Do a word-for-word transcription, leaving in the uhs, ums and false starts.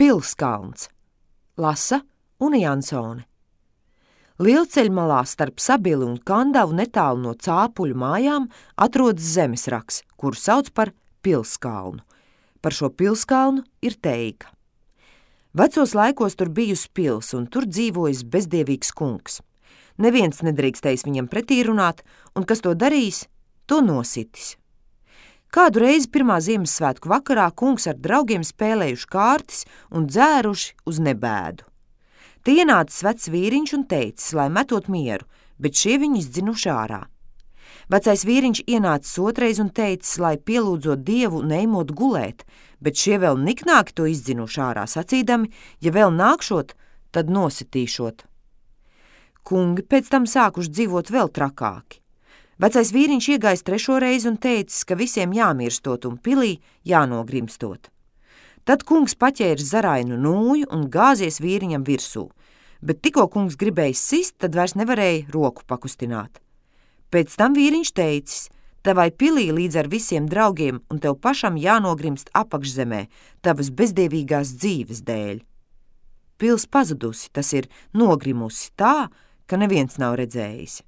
Pilskalns. Lasa Una Jansone. Lielceļmalā starp Sabili un Kandavu netālu no Cāpuļu mājām atrodas zemesraks, kuru sauc par Pilskalnu. Par šo pilskalnu ir teika. Vecos laikos tur bijusi pils, un tur dzīvojis bezdievīgs kungs. Neviens nedrīkstējis viņam pretī runāt, un kas to darījis, to nositis. Kādu reizi pirmā Ziemassvētku vakarā kungs ar draugiem spēlējuši kārtis un dzēruši uz nebēdu. Te ienācis vecs vīriņš un teicis, lai metot mieru, bet šie viņu izdzinuši ārā. Vecais vīriņš ienācis otrais un teicis, lai pielūdzot Dievu neimot gulēt, bet šie vēl niknāki to izdzinuši ārā, sacīdami, ja vēl nākšot, tad nositīšot. Kungi pēc tam sākuši dzīvot vēl trakāki. Vecais vīriņš iegājis trešo reizi un teicis, ka visiem jāmirstot un pilī jānogrimstot. Tad kungs paķēris zarainu nūju un gāzies vīriņam virsū, bet tikko kungs gribēja sist, tad vairs nevarēja roku pakustināt. Pēc tam vīriņš teicis, tavai pilī līdz ar visiem draugiem un tev pašam jānogrimst apakšzemē, tavas bezdievīgās dzīves dēļ. Pils pazudusi, tas ir nogrimusi tā, ka neviens nav redzējis.